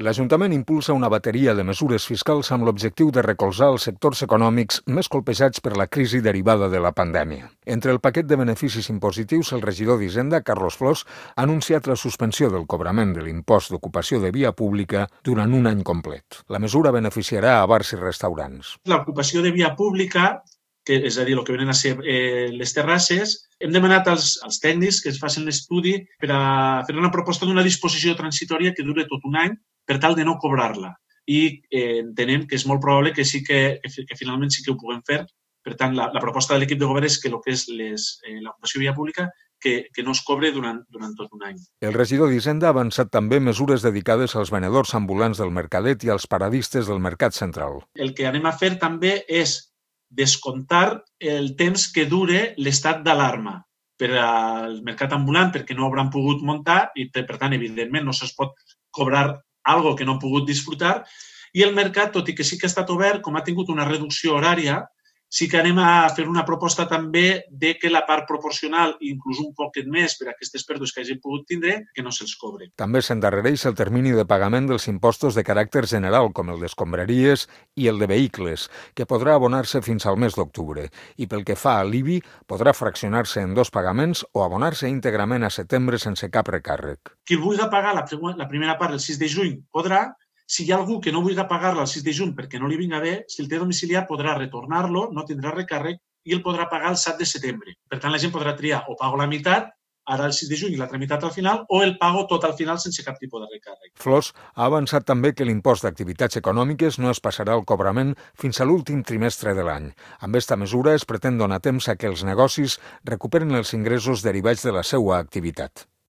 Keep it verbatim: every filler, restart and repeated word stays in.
L'Ajuntament impulsa una bateria de mesures fiscals amb l'objectiu de recolzar els sectors econòmics més colpejats per la crisi derivada de la pandèmia. Entre el paquet de beneficis impositius, el regidor d'Hisenda, Carlos Flors, ha anunciat la suspensió del cobrament de l'impost d'ocupació de via pública durant un any complet. La mesura beneficiarà a bars i restaurants. L'ocupació de via pública, que és a dir, el que venen a ser eh, les terrasses, hem demanat als, als tècnics que es facin l'estudi per a fer una proposta d'una disposició transitòria que dure tot un any per tal de no cobrar-la. I eh, entenem que és molt probable que sí que, que, que finalment sí que ho puguem fer. Per tant, la, la proposta de l'equip de govern és que el que és les, eh, l'ocupació de via pública que, que no es cobre durant, durant tot un any. El regidor d'Hisenda ha avançat també mesures dedicades als venedors ambulants del Mercadet i als paradistes del Mercat Central. El que anem a fer també és descomptar el temps que dure l'estat d'alarma per al mercat ambulant perquè no hauran pogut muntar i, per tant, evidentment, no se'ls pot cobrar algo que no han pogut disfrutar. I el mercat, tot i que sí que ha estat obert, com ha tingut una reducció horària, sí que anem a fer una proposta també de que la part proporcional, inclús un poquet més per a aquestes pèrdues que hagin pogut tindre, que no se'ls cobre. També s'endarrereix el termini de pagament dels impostos de caràcter general, com el d'escombraries i el de vehicles, que podrà abonar-se fins al mes d'octubre. I pel que fa a l'I B I, podrà fraccionar-se en dos pagaments o abonar-se íntegrament a setembre sense cap recàrrec. Qui vulgui pagar la, la primera part el sis de juny podrà. Si hi ha algú que no vulgui pagar-la el sis de juny perquè no li vinga bé, si el té domiciliat podrà retornar-lo, no tindrà recàrrec i el podrà pagar el set de setembre. Per tant, la gent podrà triar o pago la meitat, ara el sis de juny i l'altra meitat al final, o el pago tot al final sense cap tipus de recàrrec. Flors ha avançat també que l'impost d'activitats econòmiques no es passarà al cobrament fins a l'últim trimestre de l'any. Amb esta mesura es pretén donar temps a que els negocis recuperen els ingressos derivats de la seva activitat.